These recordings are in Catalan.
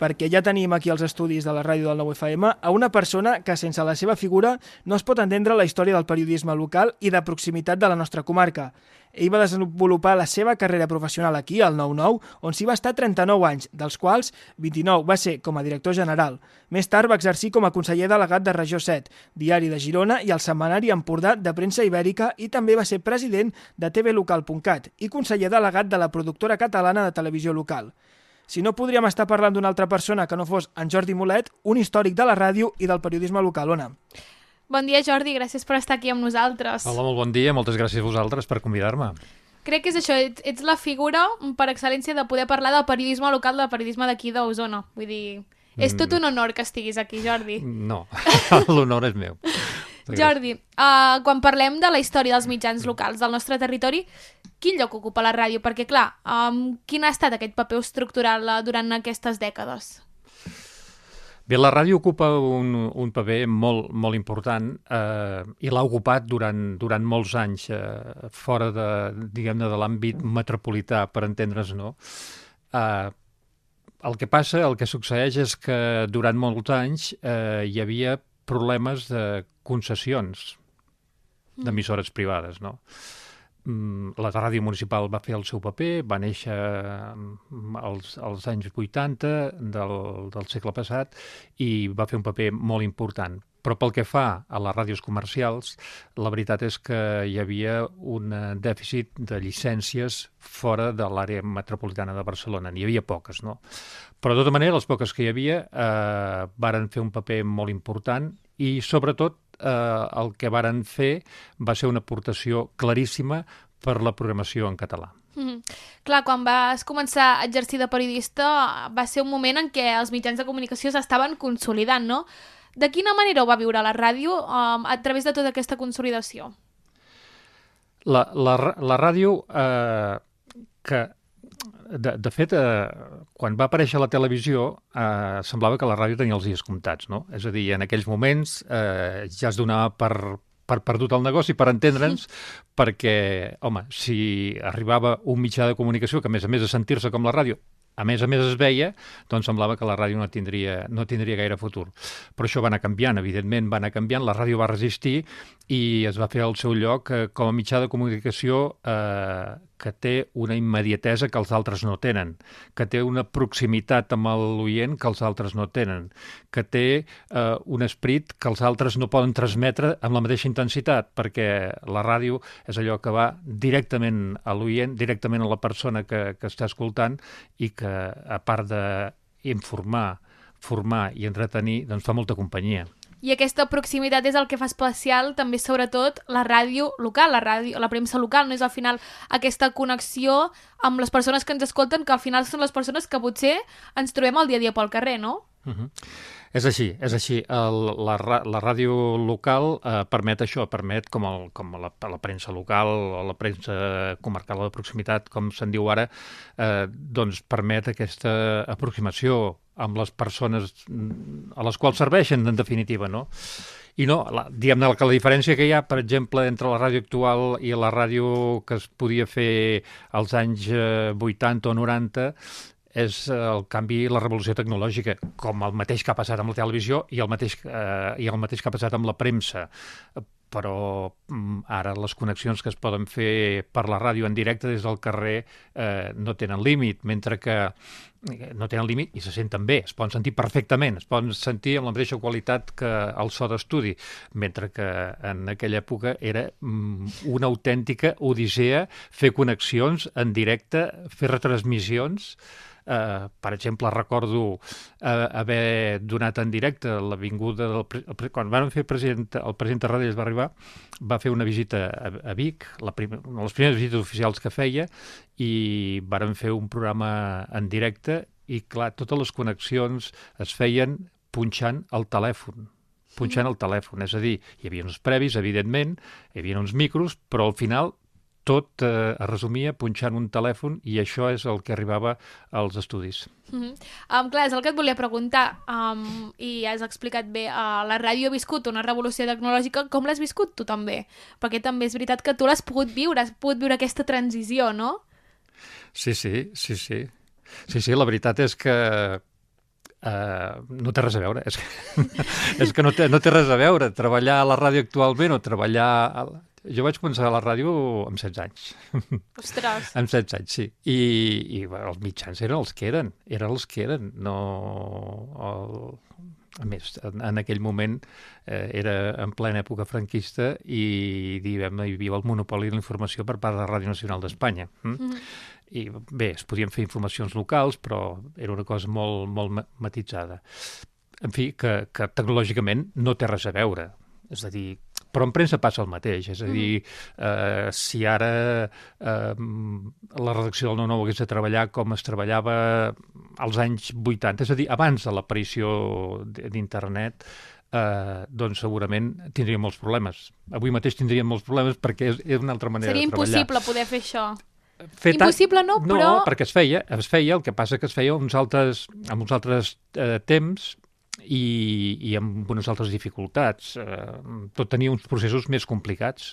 perquè ja tenim aquí als estudis de la ràdio del 9FM a una persona que sense la seva figura no es pot entendre la història del periodisme local i de proximitat de la nostra comarca. Ell va desenvolupar la seva carrera professional aquí, al 9-9, on s'hi va estar 39 anys, dels quals 29 va ser com a director general. Més tard va exercir com a conseller delegat de Regió 7, Diari de Girona i el setmanari Empordà de Premsa Ibèrica, i també va ser president de tvlocal.cat i conseller delegat de la productora catalana de televisió local. Si no, podríem estar parlant d'una altra persona que no fos en Jordi Molet, un històric de la ràdio i del periodisme local. Ona. Bon dia, Jordi, gràcies per estar aquí amb nosaltres. Hola, molt bon dia, moltes gràcies a vosaltres per convidar-me. Crec que és això, ets la figura per excel·lència de poder parlar del periodisme local, del periodisme d'aquí d'Osona. Vull dir, és tot un honor que estiguis aquí, Jordi. No, l'honor és meu. Jordi, quan parlem de la història dels mitjans locals del nostre territori, quin lloc ocupa la ràdio? Perquè, clar, quin ha estat aquest paper estructural durant aquestes dècades? Bé, la ràdio ocupa un paper molt important i l'ha ocupat durant molts anys fora de l'àmbit metropolità, per entendre's, no? El que succeeix és que durant molts anys hi havia problemes de concessions d'emissores privades, no? La ràdio municipal va fer el seu paper, va néixer als anys 80 del segle passat i va fer un paper molt important. Però pel que fa a les ràdios comercials, la veritat és que hi havia un dèficit de llicències fora de l'àrea metropolitana de Barcelona. N'hi havia poques, no? Però de tota manera, les poques que hi havia varen fer un paper molt important i, sobretot, el que varen fer va ser una aportació claríssima per la programació en català. Clar, quan vas començar a exercir de periodista va ser un moment en què els mitjans de comunicació s'estaven consolidant, no? De quina manera ho va viure la ràdio a través de tota aquesta consolidació? La ràdio, que de fet, quan va aparèixer la televisió, semblava que la ràdio tenia els dies comptats, no? És a dir, en aquells moments ja es donava per perdut el negoci, per entendre'ns, perquè, home, si arribava un mitjà de comunicació que, a més de sentir-se com la ràdio, a més es veia, doncs semblava que la ràdio no tindria gaire futur. Però això va anar canviant, evidentment va anar canviant, la ràdio va resistir i es va fer al seu lloc com a mitjà de comunicació que té una immediatesa que els altres no tenen, que té una proximitat amb l'oient que els altres no tenen, que té un esperit que els altres no poden transmetre amb la mateixa intensitat, perquè la ràdio és allò que va directament a l'oient, directament a la persona que està escoltant i que, a part d'informar, formar i entretenir, doncs fa molta companyia. I aquesta proximitat és el que fa especial també, sobretot, la ràdio local, la premsa local, no és al final aquesta connexió amb les persones que ens escolten, que al final són les persones que potser ens trobem el dia a dia pel carrer, no? És així. La ràdio local permet això, permet com la premsa local o la premsa comarcal de proximitat, com se'n diu ara, doncs permet aquesta aproximació amb les persones a les quals serveixen, en definitiva, no? I no, diguem-ne que la diferència que hi ha, per exemple, entre la ràdio actual i la ràdio que es podia fer als anys 80 o 90 és el canvi i la revolució tecnològica, com el mateix que ha passat amb la televisió i el mateix que ha passat amb la premsa. Però ara les connexions que es poden fer per la ràdio en directe des del carrer no tenen límit, mentre que no tenen límit i se senten bé, es poden sentir perfectament, es poden sentir amb la mateixa qualitat que el so d'estudi, mentre que en aquella època era una autèntica odissea fer connexions en directe, fer retransmissions. Per exemple, recordo haver donat en directe l'avinguda quan van fer el president Tarradellas va arribar, va fer una visita a Vic, una de les primeres visites oficials que feia, i varen fer un programa en directe i, clar, totes les connexions es feien punxant el telèfon. És a dir, hi havia uns previs, evidentment, hi havia uns micros, però al final tot es resumia punxant un telèfon i això és el que arribava als estudis. Clar, és el que et volia preguntar i has explicat bé, la ràdio ha viscut una revolució tecnològica, com l'has viscut tu també? Perquè també és veritat que tu l'has pogut viure, aquesta transició, no? Sí, la veritat és que No té res a veure. És que no té res a veure. Treballar a la ràdio actualment o treballar... Jo vaig començar a la ràdio amb 16 anys. Ostres! Amb 16 anys, sí. I els mitjans eren els que eren. No... A més, en aquell moment era en plena època franquista i, diguem-ne, hi havia el monopoli de la informació per part de la Ràdio Nacional d'Espanya. I bé, es podien fer informacions locals, però era una cosa molt, molt matitzada. En fi, que tecnològicament no té res a veure. És a dir, però en premsa passa el mateix. És a dir, si ara la redacció del 9-9 hagués de treballar com es treballava als anys 80, és a dir, abans de l'aparició d'internet, doncs segurament tindríem molts problemes. Avui mateix tindríem molts problemes perquè és una altra manera de treballar. Seria impossible poder fer això. Impossible no, però... No, perquè es feia, el que passa que es feia amb uns altres temps i amb unes altres dificultats. Tot tenia uns processos més complicats.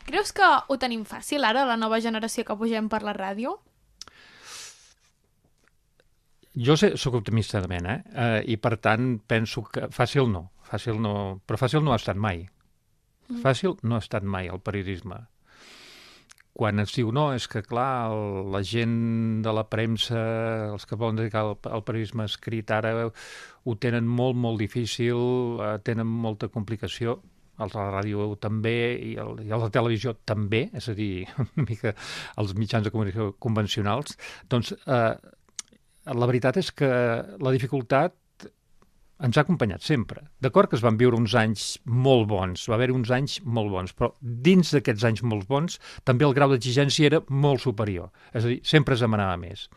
Creus que ho tenim fàcil ara, la nova generació que pugem per la ràdio? Jo soc optimista de mena, i per tant penso que fàcil no, però fàcil no ha estat mai. Fàcil no ha estat mai el periodisme. Quan ens diu, no, és que clar, la gent de la premsa, els que volen dedicar al periodisme escrit ara ho tenen molt, molt difícil, tenen molta complicació, els de la ràdio també i els de la televisió també, és a dir, una mica els mitjans de comunicació convencionals, doncs la veritat és que la dificultat ens ha acompanyat sempre. D'acord que es van viure uns anys molt bons, va haver uns anys molt bons, però dins d'aquests anys molt bons també el grau d'exigència era molt superior. És a dir, sempre es demanava més.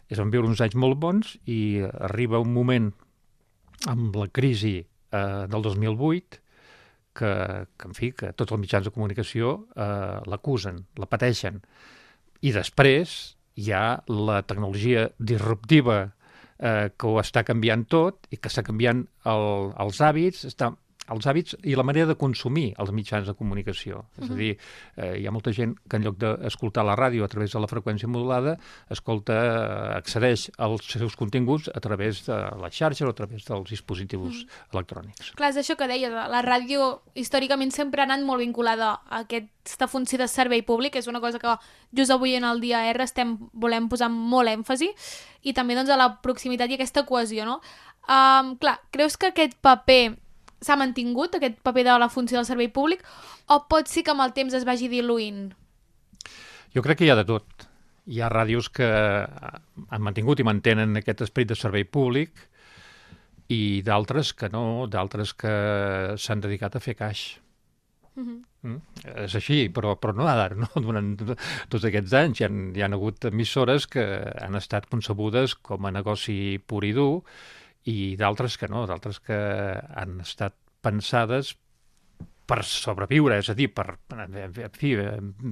Es van viure uns anys molt bons i arriba un moment amb la crisi del 2008 que, en fi, que tots els mitjans de comunicació l'acusen, la pateixen. I després hi ha la tecnologia disruptiva que ho està canviant tot i que està canviant els hàbits, els hàbits i la manera de consumir els mitjans de comunicació. És a dir, hi ha molta gent que en lloc d'escoltar la ràdio a través de la freqüència modulada, accedeix als seus continguts a través de les xarxes o a través dels dispositius electrònics. Clar, és això que deies, la ràdio històricament sempre ha anat molt vinculada a aquesta funció de servei públic, és una cosa que just avui en el dia R volem posar molt èmfasi, i també doncs, a la proximitat i aquesta cohesió, no? Clar, creus que aquest paper s'ha mantingut, aquest paper de la funció del servei públic, o pot ser que amb el temps es vagi diluint? Jo crec que hi ha de tot. Hi ha ràdios que han mantingut i mantenen aquest esperit de servei públic i d'altres que no, d'altres que s'han dedicat a fer caix. És així, però no ara, no? Durant tots aquests anys hi ha hagut emissores que han estat concebudes com a negoci pur i dur i d'altres que no, d'altres que han estat pensades per sobreviure, és a dir, per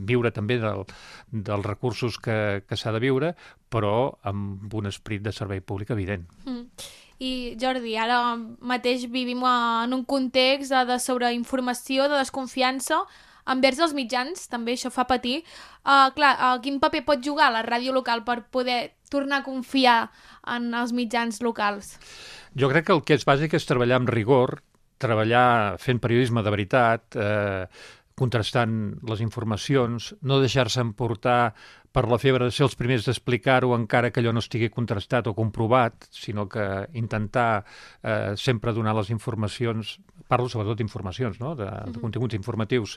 viure també dels recursos que s'ha de viure, però amb un esperit de servei públic evident. I Jordi, ara mateix vivim en un context de sobreinformació, de desconfiança envers els mitjans, també això fa patir. Quin paper pot jugar la ràdio local per poder tornar a confiar en els mitjans locals? Jo crec que el que és bàsic és treballar amb rigor, treballar fent periodisme de veritat, contrastant les informacions, no deixar-se emportar per la febre de ser els primers d'explicar-ho encara que allò no estigui contrastat o comprovat, sinó que intentar sempre donar les informacions, parlo sobretot d'informacions, no? de continguts informatius,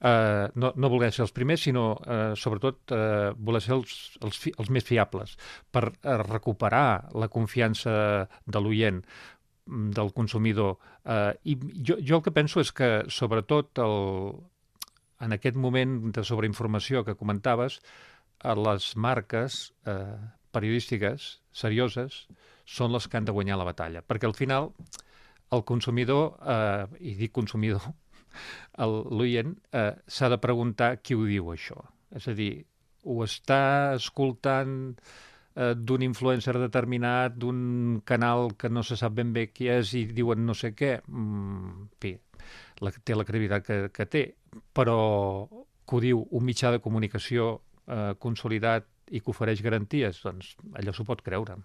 no voler ser els primers, sinó sobretot voler ser els més fiables per recuperar la confiança de l'oient, del consumidor. I jo el que penso és que sobretot en aquest moment de sobreinformació que comentaves, les marques periodístiques serioses són les que han de guanyar la batalla, perquè al final el consumidor, i dic consumidor, l'oient s'ha de preguntar qui ho diu això. És a dir, ho està escoltant d'un influencer determinat, d'un canal que no se sap ben bé qui és i diuen no sé què, en fi, té la credibilitat que té, però que ho diu un mitjà de comunicació consolidat i que ofereix garanties, doncs allò s'ho pot creure.